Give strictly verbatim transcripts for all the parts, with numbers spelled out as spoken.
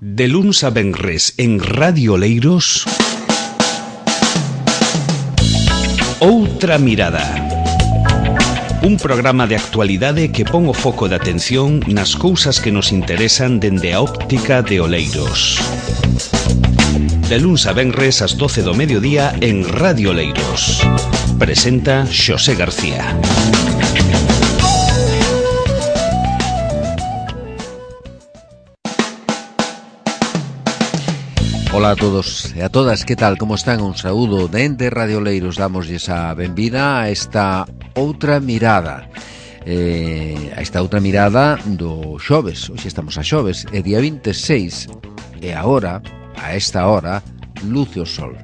De luns a venres en Radio Oleiros, Outra Mirada. Un programa de actualidade que pon o foco de atención nas cousas que nos interesan dende a óptica de Oleiros. De luns a venres ás doce do mediodía en Radio Oleiros. Presenta Xosé García. Ola a todos e a todas, que tal, como están? Un saúdo dende Radio Oleiros. Damosles a benvida a esta outra mirada eh, A esta outra mirada do xoves. Hoxe estamos a xoves, é día vinte e seis. E agora, a esta hora, luce o sol.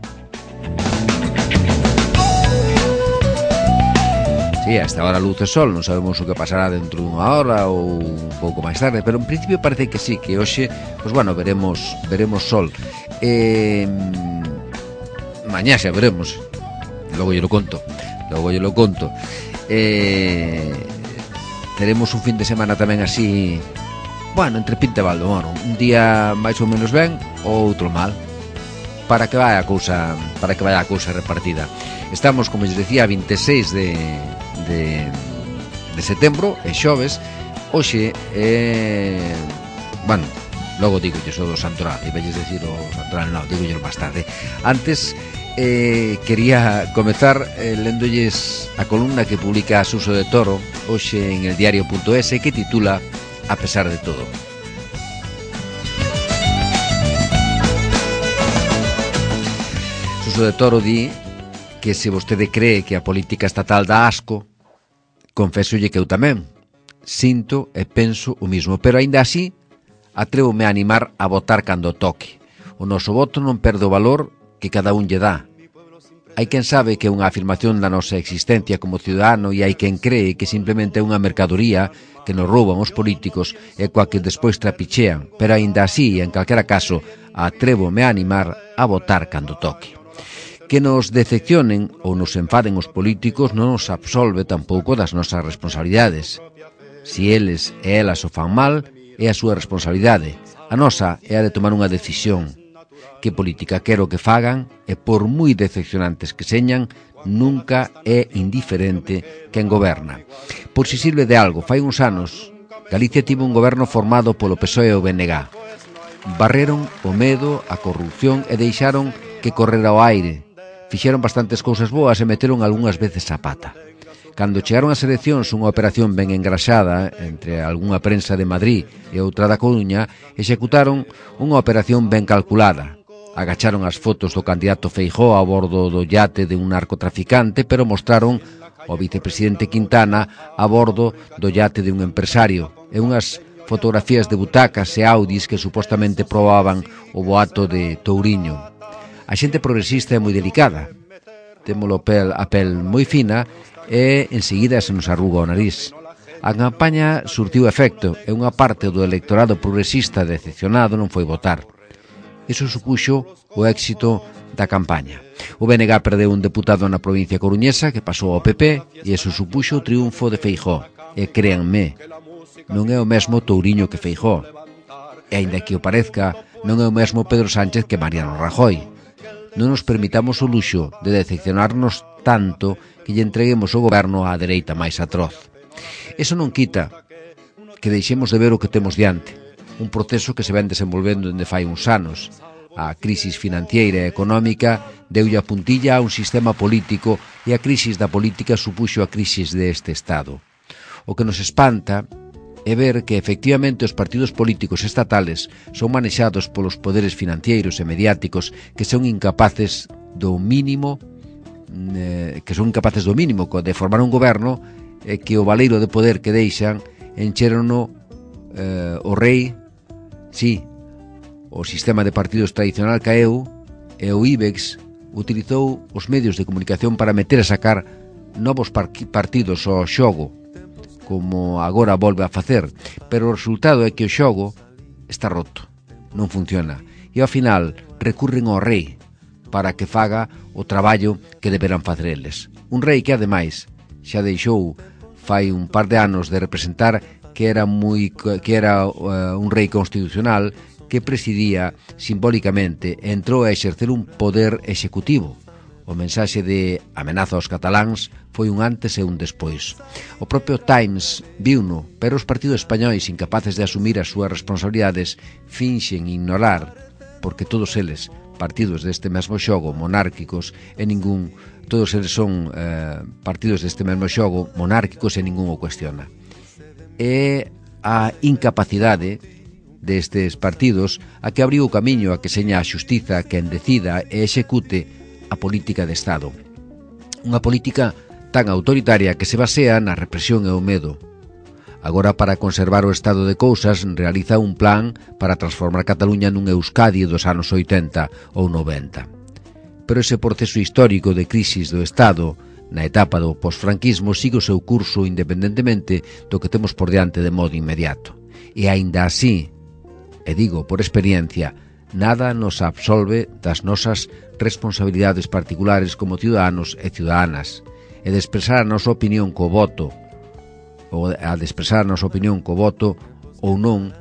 Sí, a esta hora luce o sol. Non sabemos o que pasará dentro dunha hora ou un pouco máis tarde, pero en principio parece que sí, que hoxe, pois bueno, veremos veremos sol. Eh, mañá xa veremos. Logo yo lo conto. Logo yo lo conto. Eh, teremos un fin de semana tamén así, bueno, entre pinta e baldo, bueno, un día máis ou menos ben, ou outro mal, para que vaya a cousa, para que vaya a cousa repartida. Estamos, como les decía, a vinte e seis de de de setembro, é xoves. Hoxe é, bueno, logo digo yo só do Santoral, e velles decir o Santoral, non, digo yo máis tarde. Antes eh, quería comezar eh, lendolles a columna que publica Suso de Toro hoxe en el diario punto es, que titula A pesar de todo. Suso de Toro di que se vostede cree que a política estatal dá asco, confésolle que eu tamén sinto e penso o mismo, pero aínda así atrévome a animar a votar cando toque. O noso voto non perde o valor que cada un lle dá. Hai quen sabe que é unha afirmación da nosa existencia como ciudadano, e hai quen cree que simplemente é unha mercadoría que nos rouban os políticos e coa que despois trapichean, pero aínda así, en calquera caso, atrévome a animar a votar cando toque. Que nos decepcionen ou nos enfaden os políticos non nos absolve tampouco das nosas responsabilidades. Si eles e elas o fan mal, é a súa responsabilidade. A nosa é a de tomar unha decisión. Que política quero que fagan, e por moi decepcionantes que señan, nunca é indiferente quen goberna. Por si sirve de algo, fai uns anos, Galicia tivo un goberno formado polo P S O E e o B N G. Barreron o medo, a corrupción e deixaron que correra ao aire. Fixeron bastantes cousas boas e meteron algunhas veces a pata. Cando chegaron as eleccións, unha operación ben engraxada entre algunha prensa de Madrid e outra da Coruña, executaron unha operación ben calculada. Agacharon as fotos do candidato Feijóo a bordo do yate de un narcotraficante, pero mostraron o vicepresidente Quintana a bordo do yate de un empresario, e unhas fotografías de butacas e Audis que supostamente probaban o boato de Touriño. A xente progresista é moi delicada, témolo pel, a pel moi fina, e enseguida se nos arruga o nariz. A campaña surtiu efecto e unha parte do electorado progresista decepcionado non foi votar. Iso supuxo o éxito da campaña. O B N G perdeu un deputado na provincia coruñesa que pasou ao P P, e iso supuxo o triunfo de Feijóo. E créanme, non é o mesmo Touriño que Feijóo. E aínda que o parezca, non é o mesmo Pedro Sánchez que Mariano Rajoy. Non nos permitamos o luxo de decepcionarnos tanto que lle entreguemos o goberno á dereita máis atroz. Eso non quita que deixemos de ver o que temos diante, un proceso que se ven desenvolvendo dende fai uns anos. A crisis financiera e económica deulle a puntilla a un sistema político, e a crisis da política supuxo a crisis deste Estado. O que nos espanta é ver que efectivamente os partidos políticos estatales son manexados polos poderes financeiros e mediáticos que son incapaces do mínimo eh, que son incapaces do mínimo de formar un goberno, e eh, que o baleiro de poder que deixan encherono eh, o rei, sí, o sistema de partidos tradicional caeu, e o IBEX utilizou os medios de comunicación para meter a sacar novos par- partidos ao xogo, como agora volve a facer, pero o resultado é que o xogo está roto, non funciona, e ao final recurren ao rei para que faga o traballo que deberán facer eles. Un rei que, ademais, xa deixou fai un par de anos de representar que era moi que era uh, un rei constitucional, que presidía simbólicamente e entrou a exercer un poder executivo. O mensaxe de amenaza aos cataláns foi un antes e un despois. O propio Times viuno, pero os partidos españois incapaces de asumir as súas responsabilidades finxen ignorar, porque todos eles, partidos deste mesmo xogo, monárquicos, e ningún, todos eles son eh, partidos deste mesmo xogo, monárquicos, e ningún o cuestiona. E a incapacidade destes partidos a que abriu o camiño a que seña a xustiza quen decida e execute a política de Estado. Unha política tan autoritaria que se basea na represión e o medo. Agora, para conservar o estado de cousas, realiza un plan para transformar Cataluña nun Euskadi dos anos oitenta ou noventa. Pero ese proceso histórico de crisis do Estado na etapa do posfranquismo sigue o seu curso independentemente do que temos por diante de modo inmediato. E aínda así, e digo por experiencia, nada nos absolve das nosas responsabilidades particulares como ciudadanos e ciudadanas, e de expresar a nosa opinión co voto, ou a de expresar a nosa opinión co voto ou non,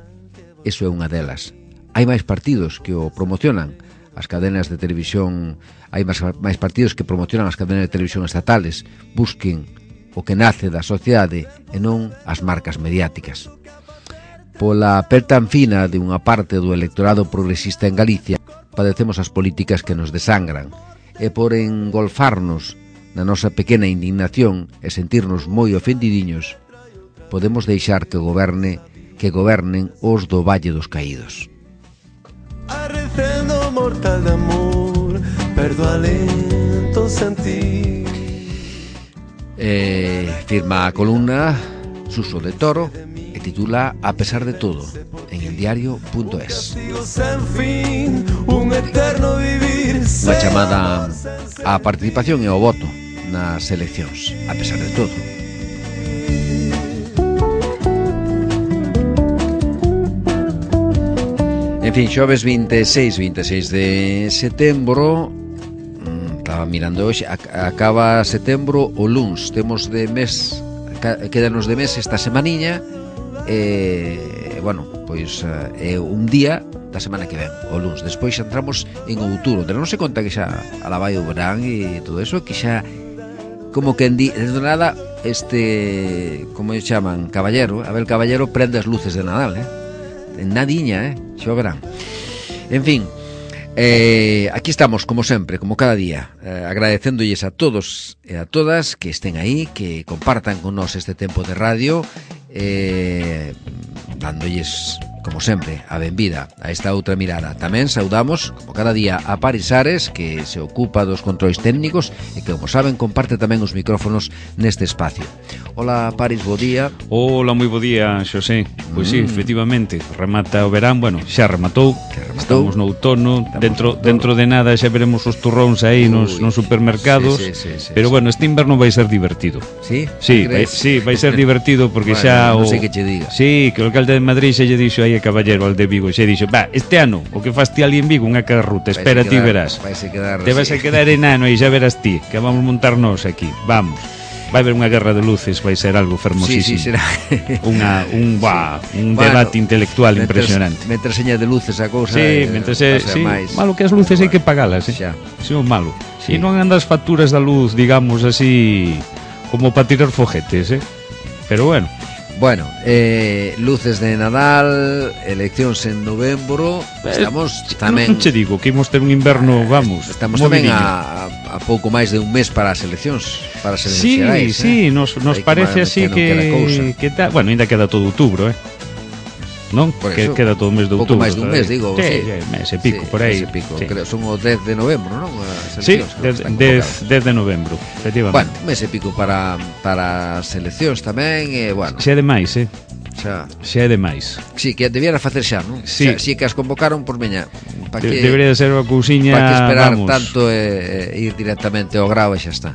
eso é unha delas. Hai máis partidos que o promocionan, as cadenas de televisión, hai máis, máis partidos que promocionan as cadenas de televisión estatales, busquen o que nace da sociedade e non as marcas mediáticas. Pola pel tan fina de unha parte do electorado progresista en Galicia, padecemos as políticas que nos desangran, e por engolfarnos na nosa pequena indignación e sentirnos moi ofendidiños, podemos deixar que goberne, que gobernen os do Valle dos Caídos. Arrecendo mortal de amor, perdo alento sentir. Eh, firma a columna Suso de Toro e titula A pesar de todo en el diario punto es. Unha chamada á participación e ao voto nas eleccións, a pesar de todo. En fin, xoves vinte e seis, vinte e seis de setembro, estaba mirando hoxe, acaba setembro o luns, temos de mes, quedanos de mes esta semaniña, e, bueno, pois é un día da semana que ven, o luns. Despois xa entramos en outubro, pero non se conta que xa alaba o verán e todo eso, que xa, como que en di, desde nada, este, como se chaman, caballero, Abel Caballero prende as luces de Nadal, eh? En nadiña, eh? Xa o verán. En fin, eh, aquí estamos, como sempre, como cada día, eh, agradecéndolles a todos e a todas que estén aí, que compartan con nós este tempo de radio, eh, dándolles, como sempre, a benvida a esta outra mirada. Tamén saudamos, como cada día, a Paris Ares, que se ocupa dos controis técnicos e que, como saben, comparte tamén os micrófonos neste espacio. Hola, Paris, bo día. Hola, moi bo día, Xosé. Pois mm. sí, efectivamente, remata o verán, bueno, xa rematou, rematou. Estamos no outono, Estamos dentro no dentro de nada xa veremos os turróns aí nos, nos supermercados, sí, sí, sí, pero sí, bueno, este inverno vai ser divertido. Sí? Sí, vai, sí, vai ser divertido porque bueno, xa non o... sei que che diga. Sí, que o alcalde de Madrid xa lle dixo aí a Caballero al de Vigo, xa dixo, va, este ano, o que faz ti ali en Vigo, unha carruta, espera ti verás. Quedar, te vas sí. a quedar enano e xa verás ti, que vamos montarnos aquí, vamos. Vai haber unha guerra de luces, vai ser algo fermosísimo. Sí, sí, será. Unha, un, bah, un bueno, debate intelectual mentre, impresionante. Mentre seña de luces a cousa. Sí, mentre se, sí, máis. Malo que as luces bueno, hai que pagalas, eh? Xa. Sí, o malo. Sí. E non andan as facturas da luz, digamos así, como para tirar foguetes, eh? Pero bueno. Bueno, eh, luces de Nadal, eleccións en novembro, estamos eh, tamén... Non che digo que imos ter un inverno, vamos... Estamos tamén a, a, a pouco máis de un mes para as eleccións, para as eleccións sí, xerais, sí, eh? nos, nos parece así que, que, que ta, bueno, ainda queda todo outubro, eh? Non? Que queda todo o mes de outubro. Pouco máis dun mes, digo, sí. sí. Mes e pico, sí, por aí. Mes e pico, sí. Creo, son o dez de novembro, non? Sí, dez de novembro, efectivamente. Bueno, mes e pico para, para as eleccións tamén, e, bueno... Xa é demais, eh? Xa, xa é demais. Sí, que debiera facer xa, non? Sí. Xa, si que as convocaron, por meña, pa que, debería ser unha cousiña, para que esperar vamos. tanto e, e ir directamente ao grao e xa está.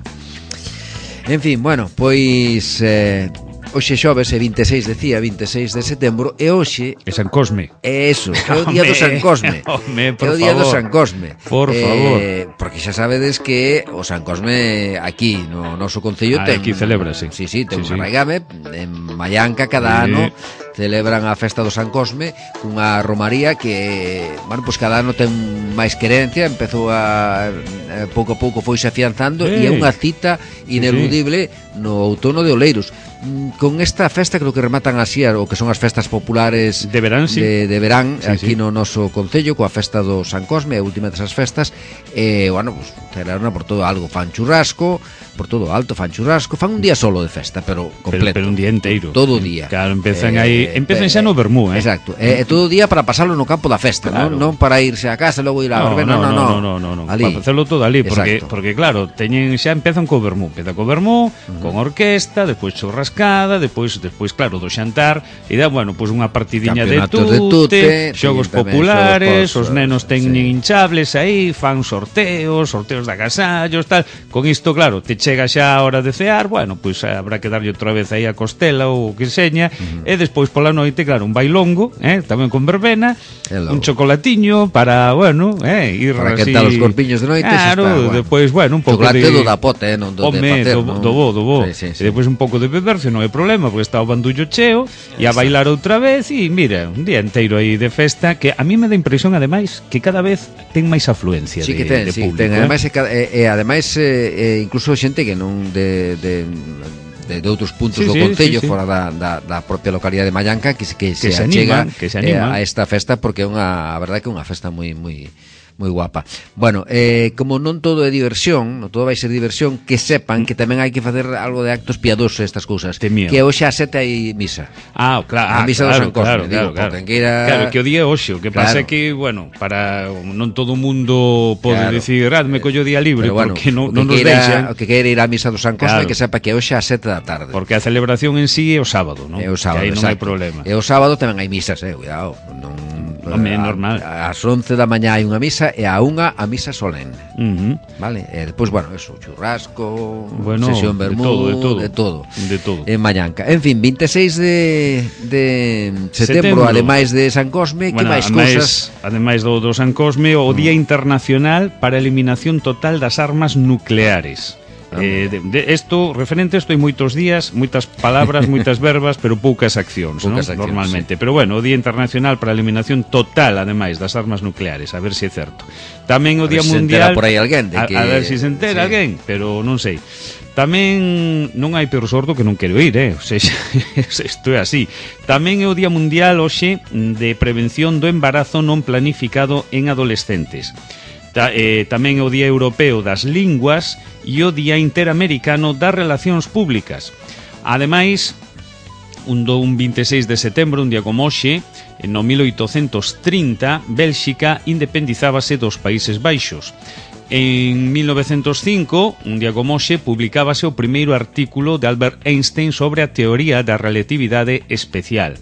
En fin, bueno, pois eh, hoxe xoves é vinte e seis, decía, vinte e seis de setembro, e hoxe é San Cosme. É eso, é o día do San Cosme. Home, por é o día favor. do San Cosme. Por eh, favor. Porque xa sabedes que o San Cosme aquí no noso concello ah, ten... aquí celébrase. Sí, sí, ten sí, un sí. arraigame en Mallanca cada sí. ano. celebran a festa do San Cosme cunha romaría que, bueno, pois cada ano ten máis querencia, empezou a eh, pouco a pouco foise afianzando e é unha cita ineludible no outono de Oleiros. Con esta festa creo que rematan así o que son as festas populares de verán, sí. de, de verán sí, aquí sí. no noso concello coa festa do San Cosme, a última desas festas, e, bueno, pues, celebraron por todo algo, fan churrasco, por todo alto, fan churrasco, fan un día solo de festa, pero completo. Pero, pero un día inteiro. Todo o día. Claro, empezan eh, aí, empezan xa no vermú, eh. Exacto. E eh, todo o día para pasarlo no campo da festa, claro. non, non para irse a casa e logo ir a no, verbena, no, no, no, no, no, no, no. Ali. Para facelo todo ali, porque Exacto. porque claro, teñen xa empezan co vermú, empeza co vermú, uh-huh. con orquesta, despois churrascada, despois despois claro, do xantar, e dá, bueno, pois unha partidiña de tute, de tute, xogos populares, os nenos teñen sí. hinchables aí, fan sorteos, sorteos de agasallos, tal. Con isto, claro, te chega xa a hora de cear, bueno, pois habrá que darlle outra vez aí a costela ou o que seña, uh-huh. e despois pola noite, claro, un bailongo, eh, tamén con verbena, Hello. un chocolatiño para, bueno, eh, ir para así... quentar os corpiños de noite, claro, está, bueno. Despois, bueno, un pouco chocolate de... do da pote, eh, non do Home, de facer, do, non? do bo, do bo. Sí, sí, sí. E despois un pouco de beber, se non é problema, porque está o bandullo cheo, e a bailar outra vez, e mira, un día inteiro aí de festa, que a mí me dá impresión, ademais, que cada vez ten máis afluencia sí, de, que ten, de sí, público. Ten, eh? ademais, e, e, ademais eh, incluso xente que non de... de de, de outros puntos sí, do concello sí, sí, fora da, da, da propia localidade de Mallanca que, que, que se, se achega animan, que se animan. Eh, a esta festa porque é unha, a verdade que é unha festa moi moi moi guapa. Bueno, eh, como non todo é diversión, non todo vai ser diversión, que sepan que tamén hai que facer algo de actos piadosos estas cousas. Que hoxe a sete hai misa. Ah, claro, a misa claro, do San Cosme, claro, digo, claro, claro. Que era... claro, que o día é hoxe, o que claro. pasa é que, bueno, para non todo o mundo pode claro. dicir, ah, me collo día libre, bueno, porque non, que non nos queira, deixan. O que queira ir á misa do San Cosme, claro. que sepa que hoxe a sete da tarde. Porque a celebración en sí é o sábado, non? É o sábado, que aí non exacto. hai problema. E o sábado tamén hai misas, eh, cuidado, non... Home, é normal. Ás once da mañá hai unha misa e a unha a misa solene. Uh-huh. Vale? E despois, bueno, eso, churrasco, bueno, sesión vermú, de todo, de todo. De todo. En Mallanca. En fin, vinte e seis de, de setembro, setembro, ademais de San Cosme, bueno, que máis cousas? Ademais do, do San Cosme, o Día Internacional para a Eliminación Total das Armas Nucleares. Eh, de, de esto, referente a isto hai moitos días, moitas palabras, moitas verbas, pero poucas accións, poucas ¿no? accións normalmente. Sí. Pero bueno, o Día Internacional para a Eliminación Total, ademais, das armas nucleares, a ver se é certo. Tamén o Día Mundial... por aí alguén de que... a, a ver se se entera sí. alguén, pero non sei. Tamén non hai peor sordo que non quero ir, eh? O sea, isto é así. Tamén é o Día Mundial hoxe de Prevención do Embarazo non planificado en adolescentes. Ta, eh, tamén o Día Europeo das Linguas e o Día Interamericano das Relacións Públicas. Ademais, un, do, un vinte e seis de setembro, un día como hoxe, no mil oitocentos trinta, Bélxica independizábase dos Países Baixos. En mil novecentos cinco, un día como hoxe, publicábase o primeiro artículo de Albert Einstein sobre a teoría da relatividade especial.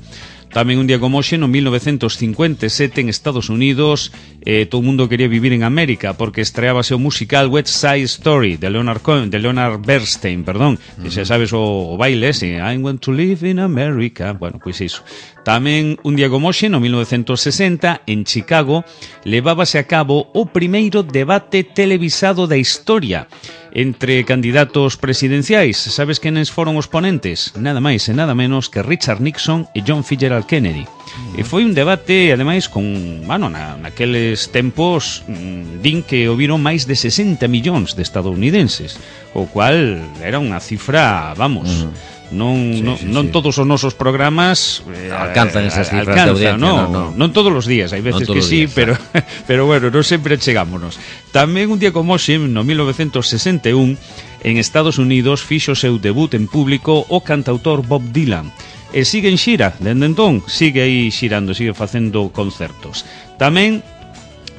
Tamén un día como hoxe, no mil novecentos cincuenta e sete, en Estados Unidos, eh, todo o mundo quería vivir en América porque estreábase o musical West Side Story de Leonard Cohen, de Leonard Bernstein, perdón, uh-huh. que xa sabes o, o baile ese, I want to live in America. Bueno, pois iso. Tamén un día como hoxe, no mil novecentos sesenta, en Chicago, levábase a cabo o primeiro debate televisado da historia entre candidatos presidenciais. Sabes quenes foron os ponentes? Nada máis e nada menos que Richard Nixon e John Fitzgerald Kennedy. E foi un debate, ademais, con, bueno, na, naqueles tempos mmm, din que houviron máis de sesenta millóns de estadounidenses, o cual era unha cifra, vamos... Uh-huh. Non, sí, non, sí, non sí. todos os nosos programas eh, alcanzan esas cifras alcanza, de audiencia, no, no, no. non todos os días, hai veces no que sí, días, pero pero bueno, non sempre chegámonos. Tamén un día como hoxe, no mil novecentos sesenta e un, en Estados Unidos fixo o seu debut en público o cantautor Bob Dylan. E sigue en xira, dende entón, sigue aí xirando, sigue facendo concertos. Tamén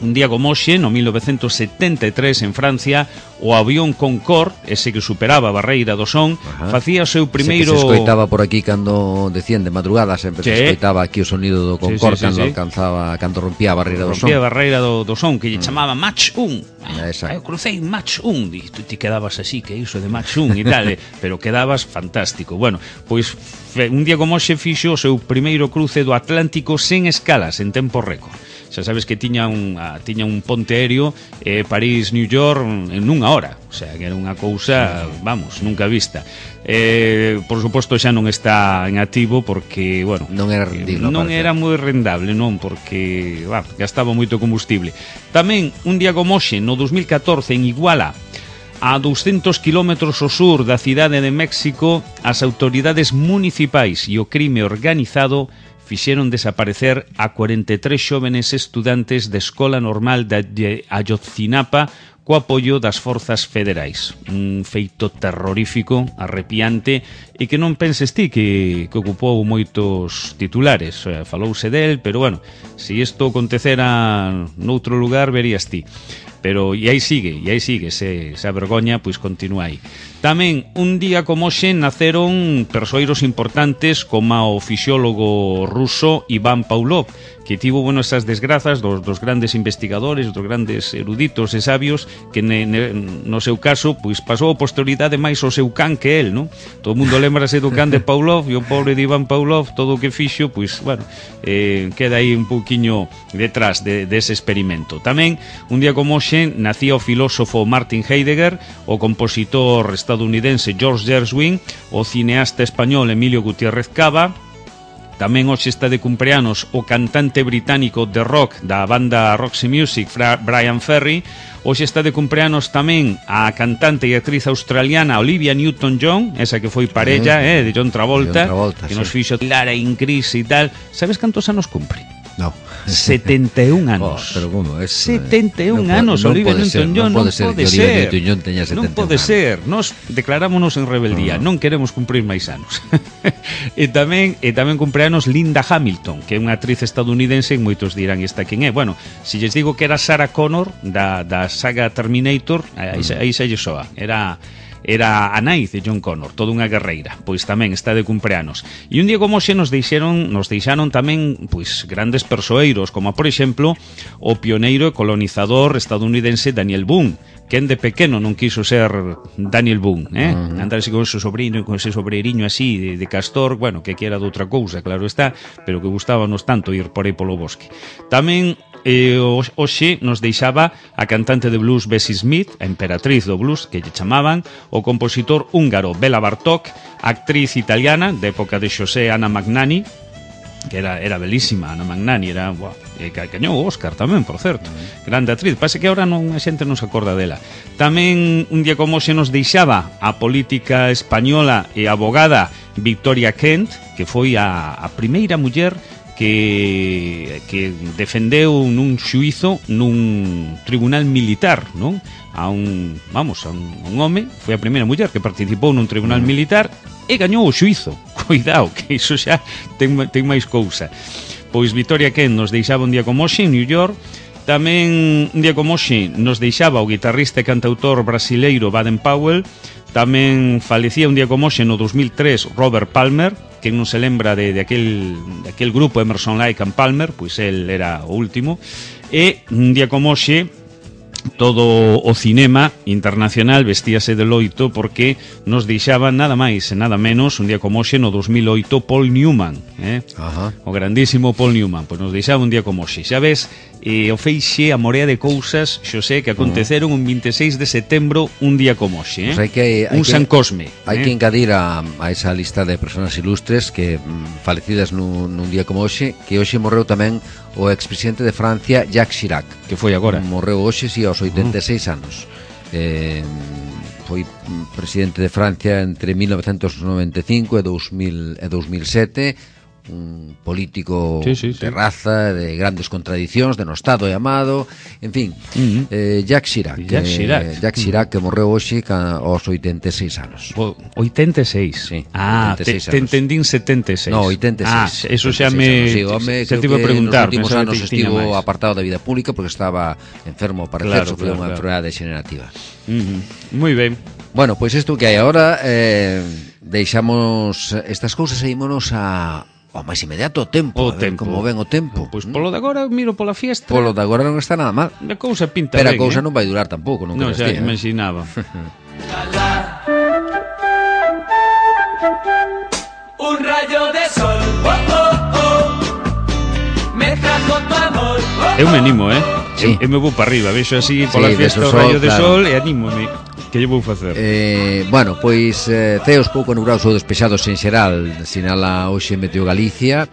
un día como hoxe, no mil novecentos setenta e tres, en Francia, o avión Concorde, ese que superaba a barreira do son, ajá, facía o seu primeiro... Ese que se escoitaba por aquí cando decían de madrugada, sempre sí. se escoitaba aquí o sonido do Concorde sí, sí, sí, cando sí. alcanzaba, cando rompía a barreira do son. Rompía a barreira do, do son, que lle chamaba Mach un. Ah, eu crucei Mach un. E tú te quedabas así, que iso de Mach un e tal, pero quedabas fantástico. Bueno, pois un día como hoxe fixo o seu primeiro cruce do Atlántico sen escalas, en tempo récord. Xa sabes que tiña un, a, tiña un ponte aéreo eh, París-New York en unha hora, o sea, que era unha cousa, vamos, nunca vista. Eh, por suposto xa non está en activo porque, bueno, non era rendible, non era moi rendable, non, porque, bah, gastaba moito combustible. Tamén un día como hoxe, no dos mil catorce, en Iguala, a douscentos kilómetros ao sur da cidade de México, as autoridades municipais e o crime organizado fixeron desaparecer a cuarenta e tres xóvenes estudantes de Escola Normal de Ayotzinapa co apoio das forzas federais. Un feito terrorífico, arrepiante, e que non penses ti que, que ocupou moitos titulares. O sea, falouse del, pero bueno, se isto acontecera noutro lugar, verías ti. Pero e aí sigue, e aí sigue, se, esa vergoña, pois continúa aí. Tamén, un día como hoxe, naceron persoeiros importantes como o fisiólogo ruso Iván Pavlov, que tivo, bueno, esas desgrazas dos, dos grandes investigadores, dos grandes eruditos e sabios, que ne, ne, no seu caso, pois pasou a posterioridade máis o seu can que el, non? Todo o mundo lembrase do can de Pavlov, e o pobre de Iván Pavlov, todo o que fixo, pois, bueno, eh, queda aí un pouquiño detrás de, de ese experimento. Tamén, un día como hoxe, nacía o filósofo Martin Heidegger, o compositor estadounidense George Gershwin, o cineasta español Emilio Gutiérrez Cava. Tamén hoxe está de cumpleanos o cantante británico de rock da banda Roxy Music, Brian Ferry. Hoxe está de cumpleanos tamén a cantante e actriz australiana Olivia Newton-John, esa que foi parella eh, de John Travolta, John Travolta que sí. Nos fixo Lara en Cris e tal. Sabes cantos anos cumpre? No. setenta e un anos. Oh, pero como es, setenta e un no anos, no Olivia Newton-John, non pode ser. Non pode ser. Teña non pode ser. Nos declarámonos en rebeldía, no. non queremos cumprir máis anos. e tamén e tamén cumpleanos Linda Hamilton, que é unha actriz estadounidense, e moitos dirán esta quen é. Bueno, se lles digo que era Sarah Connor da, da saga Terminator, aí, mm. aí xa lle soa. Era era a nai de John Connor, toda unha guerreira, pois tamén está de cumpleanos. E un día como xe nos deixaron, nos deixaron tamén pois grandes persoeiros, como por exemplo o pioneiro e colonizador estadounidense Daniel Boone, quen de pequeno non quiso ser Daniel Boone, eh? Uh -huh. Andar así con ese sobrino, con ese sobreiriño así de, de castor, bueno, que quiera de outra cousa, claro está, pero que gustábanos tanto ir por aí polo bosque. Tamén E hoxe nos deixaba a cantante de blues Bessie Smith, a emperatriz do blues, que lle chamaban, o compositor húngaro Bela Bartók, actriz italiana de época de Xosé Ana Magnani, que era, era belísima, Ana Magnani, era, buah, e cañou o Óscar tamén, por certo, uh-huh. grande actriz, pase que ahora non, a xente non se acorda dela. Tamén un día como hoxe nos deixaba a política española e abogada Victoria Kent, que foi a, a primeira muller que, que defendeu nun xuízo nun tribunal militar, non? A un, vamos, a un, un home, foi a primeira muller que participou nun tribunal militar e gañou o xuízo. Cuidado, que iso xa ten, ten máis cousa. Pois Victoria Kent nos deixaba un día como hoxe en New York. Tamén un día como hoxe nos deixaba o guitarrista e cantautor brasileiro Baden Powell. Tamén falecía un día como hoxe no dos mil tres Robert Palmer, que non se lembra de, de, aquel, de aquel grupo Emerson, Lake and Palmer, pois el era o último. E un día como hoxe todo o cinema internacional vestíase de loito porque nos deixaba nada máis e nada menos un día como hoxe no dos mil oito Paul Newman, eh? Ajá. O grandísimo Paul Newman, pois nos deixaba un día como hoxe. Xa ves, eh, o feixe a morea de cousas, xosé, que aconteceron un vinte e seis de setembro un día como hoxe, eh? Pues hai que, hai un San Cosme. Hai eh? que engadir a, a esa lista de personas ilustres que mm, falecidas nun, nun día como hoxe, que hoxe morreu tamén o expresidente de Francia Jacques Chirac, que foi agora. Morreu hoxe, si, aos oitenta e seis uh -huh. anos. Eh, foi presidente de Francia entre mil novecentos noventa e cinco e dos mil sete, un político sí, sí, sí. de raza, de grandes contradicións, denostado e amado, en fin, uh -huh. eh, Jacques Chirac, Jacques Chirac, eh, Jacques Chirac que morreu hoxe aos oitenta e seis anos. O, oitenta e seis? Sí, ah, oitenta e seis te, te entendín setenta e seis. No, oitenta e seis. Ah, eso xa me... Sí, home, se te iba a preguntar. Nos últimos anos estivo apartado da vida pública porque estaba enfermo, parece, claro, sufriu claro, unha claro. enfermedade degenerativa. Uh -huh. Moi ben. Bueno, pois pues isto que hai agora, eh, deixamos estas cousas e ímonos a... o máis inmediato o tempo, o a ver tempo. como ven o tempo. Pois polo de agora miro pola fiesta. Polo de agora non está nada mal. A cousa pinta pero ben, a cousa eh? non vai durar tampouco, non No, crees xa ti, imaginaba. Un rayo de sol, oh, oh, oh, me trajo tu amor, oh, Eu me animo, eh? Sí. Eu, eu me vou para arriba, vexo así pola sí, fiesta o sol, rayo de claro. sol e anímome. Que lle vou facer? Eh, bueno, pois eh, ceos pouco nubrados ou despexados en xeral, sinala hoxe Meteo Galicia.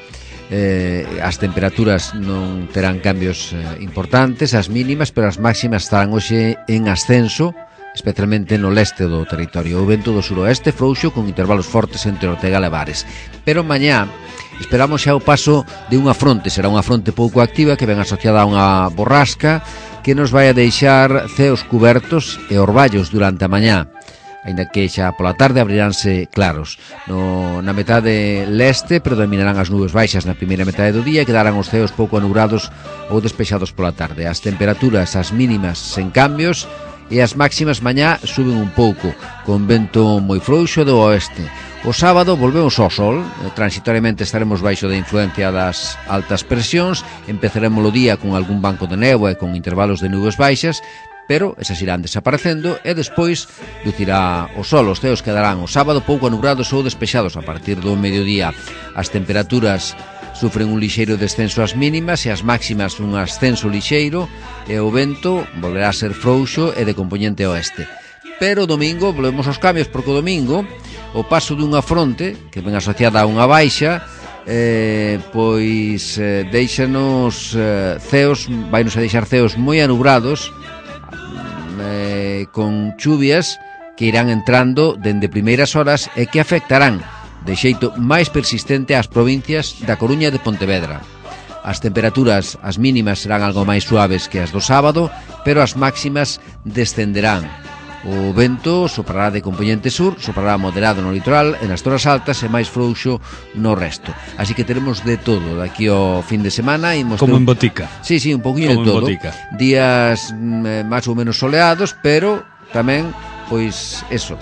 Eh, as temperaturas non terán cambios eh, importantes, as mínimas, pero as máximas estarán hoxe en ascenso, especialmente no leste do territorio. O vento do suroeste frouxo con intervalos fortes entre Ortega e Levares. Pero mañá esperamos xa o paso de unha fronte, será unha fronte pouco activa que ven asociada a unha borrasca que nos vai a deixar ceos cubertos e orballos durante a mañá, aínda que xa pola tarde abriránse claros. No, na metade leste predominarán as nubes baixas na primeira metade do día e quedarán os ceos pouco anubrados ou despexados pola tarde. As temperaturas, as mínimas sen cambios, e as máximas mañá suben un pouco, con vento moi frouxo do oeste. O sábado volvemos ao sol, transitoriamente estaremos baixo da influencia das altas presións, empezaremos o día con algún banco de néboa e con intervalos de nubes baixas, pero esas irán desaparecendo e despois lucirá o sol. Os ceos quedarán o sábado pouco anubrados ou despexados a partir do mediodía. As temperaturas sufren un lixeiro descenso ás mínimas e as máximas un ascenso lixeiro e o vento volverá a ser frouxo e de compoñente oeste. Pero o domingo volvemos aos cambios, porque o domingo o paso dunha fronte que ven asociada a unha baixa eh, pois eh, deixanos eh, ceos, vainos a deixar ceos moi anubrados eh, con chuvias que irán entrando dende primeiras horas e que afectarán de xeito máis persistente ás provincias da Coruña e de Pontevedra. As temperaturas, as mínimas serán algo máis suaves que as do sábado, pero as máximas descenderán. O vento soprará de compoñente sur, soprará moderado no litoral e nas zonas altas e máis frouxo no resto. Así que teremos de todo daqui ao fin de semana. Como en botica. Sí, sí, un poquinho de todo. Días mm, máis ou menos soleados, pero tamén, pois, eso,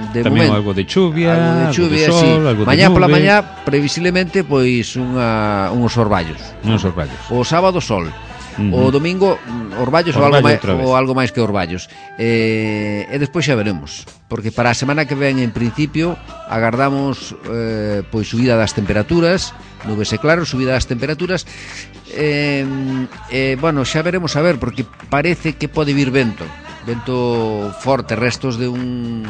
de tamén momento, algo de chuvia, algo de chuvia, algo de sol, sí. Algo Mañá de pola mañá, previsiblemente, pois unha, uns orballos. Uns orballos. O sábado sol. Uh-huh. O domingo orballos, Orballo ou, algo máis, ou algo máis que orballos. E, e despois xa veremos, porque para a semana que ven, en principio, agardamos eh, pois subida das temperaturas, nubes e claros, subida das temperaturas. E, e, bueno, xa veremos a ver, porque parece que pode vir vento. Vento forte, restos de un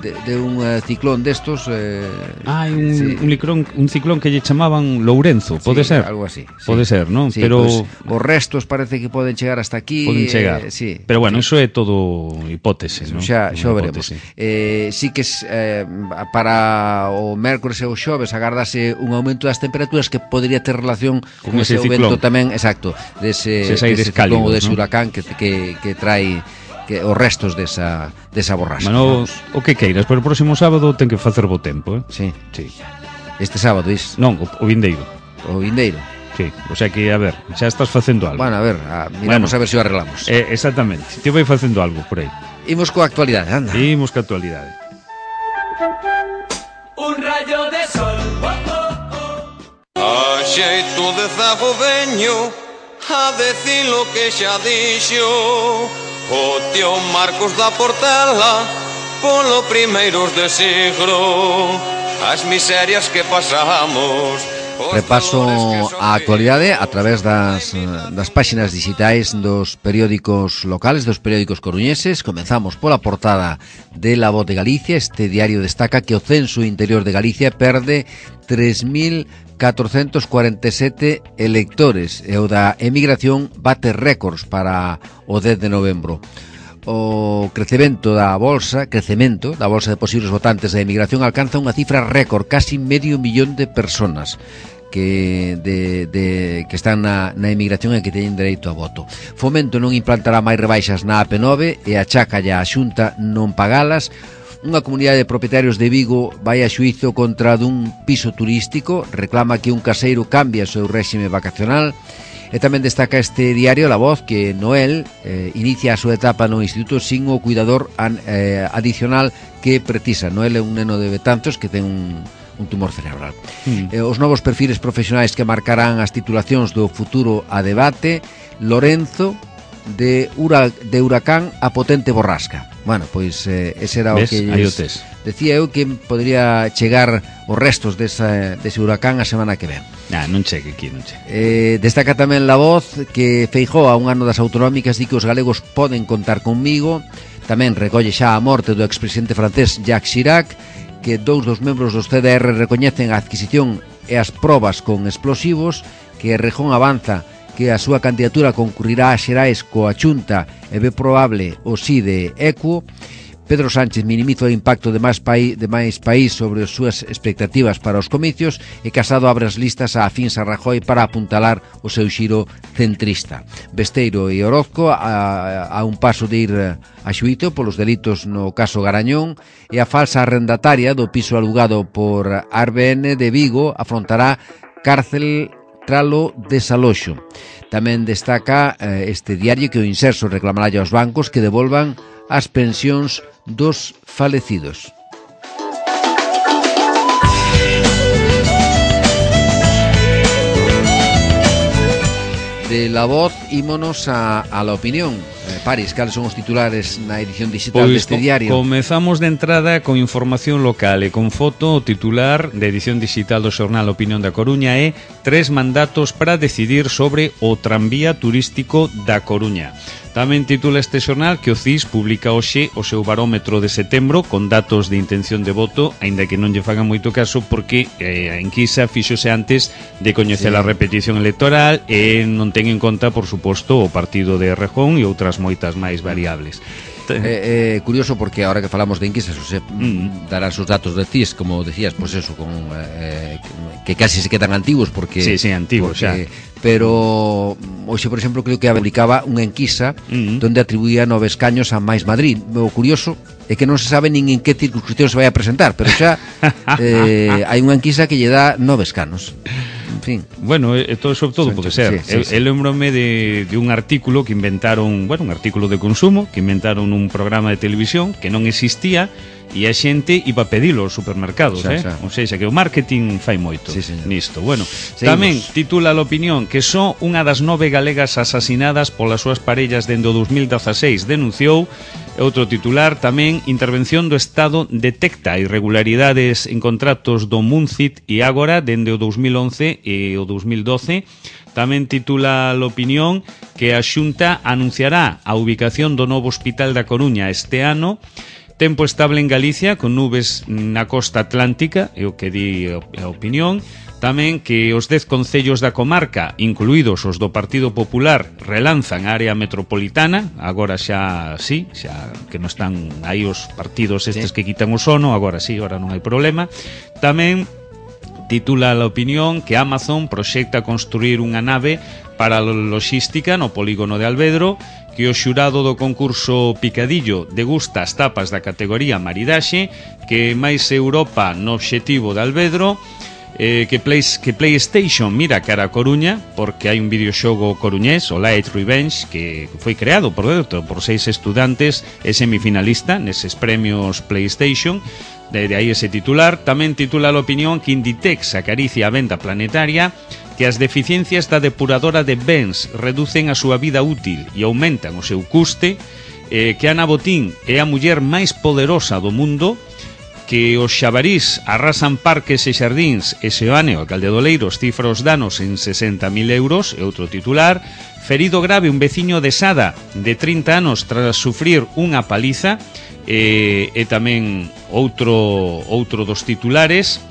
de, de un uh, ciclón destos eh, ah, un, sí. un, licrón, un ciclón que lle chamaban Lourenzo, pode sí, ser? Algo así, sí. Pode ser, non? Sí, pero pues, os restos parece que poden chegar hasta aquí. Poden chegar, eh, sí, pero bueno, sí. eso é todo hipótese, non? Xa, xa veremos. Eh, sí que eh, para o mércores e o xoves agardase un aumento das temperaturas que podría ter relación con, con ese, ese aumento tamén, exacto, dese, dese ciclón ou dese, ¿no?, huracán que, que, que trae que os restos desa, desa borrasca. Bueno, o que queiras, pero o próximo sábado ten que facer bo tempo, eh? Sí. Sí. Este sábado, is? Non, o, o vindeiro. O vindeiro. Sí, o sea que, a ver, xa estás facendo algo. Bueno, a ver, a, miramos bueno, a ver se o arreglamos. Eh, exactamente, te vai facendo algo por aí. Imos coa actualidade, anda. Imos coa actualidade. Un rayo de sol, oh, oh, oh. A xeito de zago veño a decir lo que xa dixo o tío Marcos da Portela polo primeiros de siglo, as miserias que pasamos. Repaso a actualidade a través das, das páxinas digitais dos periódicos locales, dos periódicos coruñeses. Comenzamos pola portada de La Voz de Galicia. Este diario destaca que o censo interior de Galicia perde tres mil catrocentos cuarenta e sete electores e o da emigración bate récords para o dez de novembro. O crecemento da bolsa, crecemento da bolsa de posibles votantes da emigración alcanza unha cifra récord, casi medio millón de personas que de, de que están na, na emigración e que teñen dereito a voto. Fomento non implantará máis rebaixas na A P nove e achaca a Xunta non pagalas. Unha comunidade de propietarios de Vigo vai a xuízo contra dun piso turístico, reclama que un caseiro cambie o seu réxime vacacional. E tamén destaca este diario La Voz que Noel eh, inicia a súa etapa no instituto sin o cuidador an, eh, adicional que precisa. Noel é un neno de Betanzos que ten un, un tumor cerebral. Mm. Eh, os novos perfiles profesionais que marcarán as titulacións do futuro a debate. Lorenzo de, Ura, de Huracán a potente borrasca. Bueno, pois eh, ese era o ¿Ves? que lles, decía eu que podría chegar os restos desa, dese huracán a semana que ven. Ah, non chegue aquí, non chegue. Eh, destaca tamén La Voz que Feijóo a un ano das autonómicas di que os galegos poden contar conmigo. Tamén recolle xa a morte do expresidente francés Jacques Chirac, que dous dos membros do C D R recoñecen a adquisición e as probas con explosivos, que Errejón avanza que a súa candidatura concurrirá a Xerais coa Chunta e ve probable o sí de Equo. Pedro Sánchez minimiza o impacto de máis país, de máis país sobre as súas expectativas para os comicios, e Casado abre as listas a afíns a Rajoy para apuntalar o seu xiro centrista. Besteiro e Orozco a, a un paso de ir a xuízo polos delitos no caso Garañón, e a falsa arrendataria do piso alugado por Arbn de Vigo afrontará cárcel tralo desaloxo. Tamén destaca eh, este diario que o Inserso reclamará aos bancos que devolvan as pensións dos falecidos. De La Voz, ímonos a, a La Opinión. Eh, Paris, cales son os titulares na edición digital pois deste diario? Comezamos de entrada con información local e con foto. O titular da edición digital do xornal Opinión da Coruña é tres mandatos para decidir sobre o tranvía turístico da Coruña. Tamén titula este xornal que o C I S publica hoxe o seu barómetro de setembro con datos de intención de voto, aínda que non lle fagan moito caso porque eh, a enquisa fíxose antes de coñecer sí. a repetición electoral e non ten en conta, por suposto, o partido de Errejón e outras moitas máis variables. É eh, curioso porque ahora que falamos de enquisas, o sea, mm. darás os datos de C I S, como decías, pues eso, con eh, que casi se quedan antiguos porque sí, sí, antiguos porque, xa. Pero hoxe, por exemplo, creo que publicaba unha enquisa mm. donde atribuía nove escaños a Mais Madrid. O curioso é que non se sabe nin en que circunscripción se vai a presentar, pero xa eh, hai unha enquisa que lle dá nove escanos. En fin. Bueno, e todo sobre todo pode ser. Sí, sí, sí. Eu lembrome de, de un artículo que inventaron, bueno, un artículo de consumo que inventaron un programa de televisión que non existía e a xente iba a pedilo aos supermercados, xa, eh? Xa. Ou seja, que o marketing fai moito sí, nisto. Bueno, seguimos. Tamén titula a Opinión que só unha das nove galegas asasinadas polas súas parellas dende o dos mil dezaseis denunciou. Outro titular tamén, intervención do Estado detecta irregularidades en contratos do Muncit e Ágora dende o dos mil once e o dos mil doce. Tamén titula a Opinión que a Xunta anunciará a ubicación do novo Hospital da Coruña este ano. Tempo estable en Galicia con nubes na costa atlántica, é o que di a Opinión. Tamén que os dez concellos da comarca, incluídos os do Partido Popular, relanzan a área metropolitana. Agora xa sí, xa que non están aí os partidos estes sí. que quitan o sono, agora sí, agora non hai problema. Tamén titula a Opinión que Amazon proxecta construir unha nave para a logística no polígono de Alvedro, que o xurado do concurso Picadillo degusta as tapas da categoría Maridaxe, que máis Europa no obxectivo de Alvedro, eh, que, Play, que PlayStation mira cara a Coruña, porque hai un videoxogo coruñés, o Light Revenge, que foi creado, por dentro, por seis estudantes e semifinalista neses premios PlayStation. De aí ese titular. Tamén titula a Opinión que Inditex acaricia a venda planetaria, que as deficiencias da depuradora de bens reducen a súa vida útil e aumentan o seu custe, eh, que Ana Botín é a muller máis poderosa do mundo, que os xabarís arrasan parques e xardíns e Seoane, o alcalde de Oleiros, cifra os danos en sesenta mil euros, e outro titular, ferido grave un veciño de Sada de trinta anos tras sufrir unha paliza, e, e tamén outro, outro dos titulares.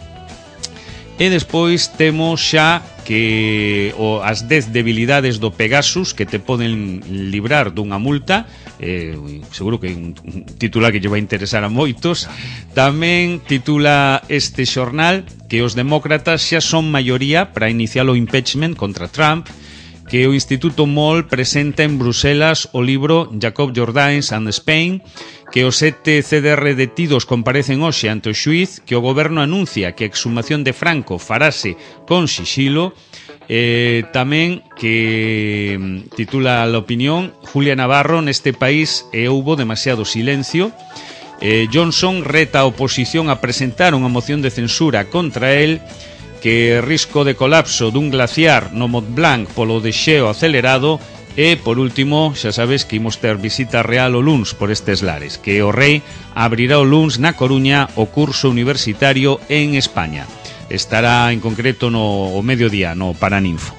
E despois temos xa que o, as dez debilidades do Pegasus que te poden librar dunha multa. eh, Seguro que é un, un titular que lle vai interesar a moitos. Tamén titula este xornal que os demócratas xa son maioría para iniciar o impeachment contra Trump, que o Instituto Moll presenta en Bruselas o libro Jacob Jordaens and Spain, que os sete C D R detidos comparecen hoxe ante o xuíz, que o goberno anuncia que a exhumación de Franco farase con sixilo. Eh, tamén que titula a Opinión Julia Navarro, neste país e houbo demasiado silencio. eh, Johnson reta a oposición a presentar unha moción de censura contra el, que risco de colapso dun glaciar no Mont Blanc polo desxeo acelerado. E, por último, xa sabes que imos ter visita real o luns por estes lares, que o rei abrirá o luns na Coruña o curso universitario en España. Estará en concreto no o mediodía, no Paraninfo.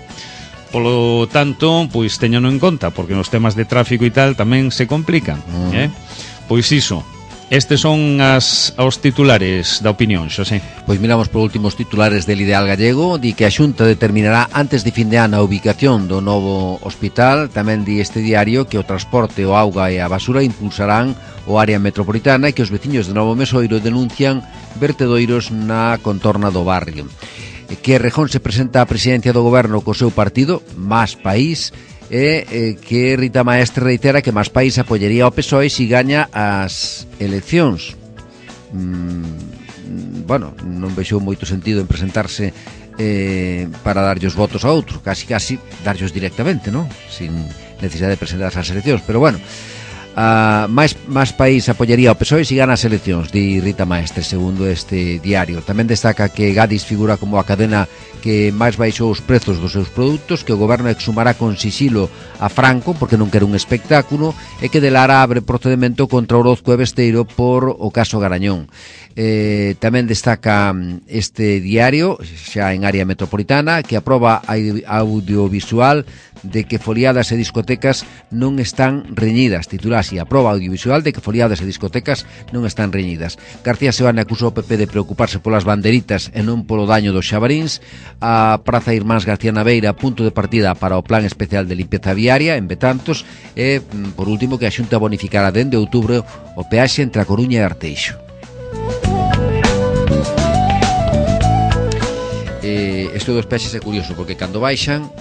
Polo tanto, pois teñano en conta, porque nos temas de tráfico e tal tamén se complican, mm. eh? Pois iso. Estes son as os titulares da opinión, Xosé. Pois miramos por últimos titulares del Ideal Gallego. Di que a Xunta determinará antes de fin de ano a ubicación do novo hospital. Tamén di este diario que o transporte, o auga e a basura impulsarán o área metropolitana e que os veciños de Novo Mesoiro denuncian vertedoiros na contorna do barrio. Que Rejón se presenta á presidencia do goberno co seu partido, Más País, e eh, que Rita Maestre reitera que Más País apoyaría ao P S O E se gaña as eleccións. Mm, bueno, non vexo moito sentido en presentarse eh, para darlle os votos a outro, casi casi darllos directamente, non? Sin necesidade de presentarse ás eleccións, pero bueno, Uh, máis, máis País apoyaría ao P S O E se gana as eleccións, di Rita Maestre, segundo este diario. Tamén destaca que Gadis figura como a cadena que máis baixou os prezos dos seus produtos, que o goberno exhumará con sisilo a Franco porque non quere un espectáculo, e que de Lara abre procedimento contra Orozco e Besteiro por o caso Garañón. Eh, tamén destaca este diario, xa en área metropolitana, que aproba a audiovisual de que foliadas e discotecas non están reñidas. Titular así: aproba audiovisual de que foliadas e discotecas non están reñidas. García Seoane acusou ao P P de preocuparse polas banderitas e non polo daño dos xabaríns. A Praza Irmáns García Naveira, punto de partida para o plan especial de limpieza viaria en Betanzos. E, por último, que a Xunta bonificará dende outubro o peaxe entre a Coruña e Arteixo. Eh, isto dos peaxes é curioso porque cando baixan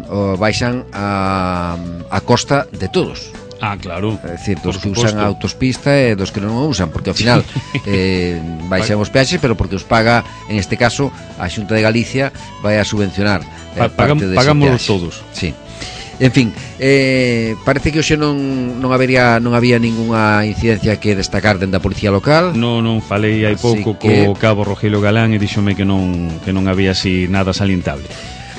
o baixan a, a costa de todos. Ah, claro. É dicir, dos que usan a autopista e dos que non o usan, porque ao final eh, baixan os peaxes, pero porque os paga, en este caso, a Xunta de Galicia vai a subvencionar eh, pa, parte dese pagámoslos todos. Sí. En fin, eh, parece que hoxe non, non habería non había ningunha incidencia que destacar dende a Policía Local. Non, non falei hai pouco que... co cabo Rogelio Galán e díxome que non, que non había así nada salientable.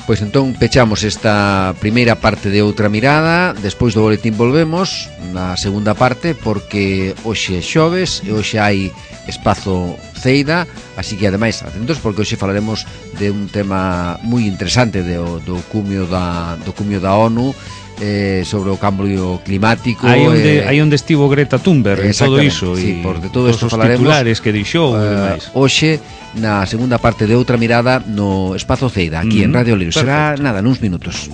Pois entón pechamos esta primeira parte de Outra Mirada. Despois do boletín volvemos na segunda parte, porque hoxe é xoves e hoxe hai espazo Ceida, así que ademais atentos porque hoxe falaremos de un tema moi interesante do, do cumio da do cumio da ONU, eh, sobre o cambio climático. Aí onde, eh, aí onde estivo Greta Thunberg e todo iso, sí, e por de todo isto os falaremos titulares que dixou uh, e demais. Hoxe na segunda parte de Outra Mirada no espazo Ceida, aquí mm-hmm. en Radio Libre. Será nada, nuns minutos.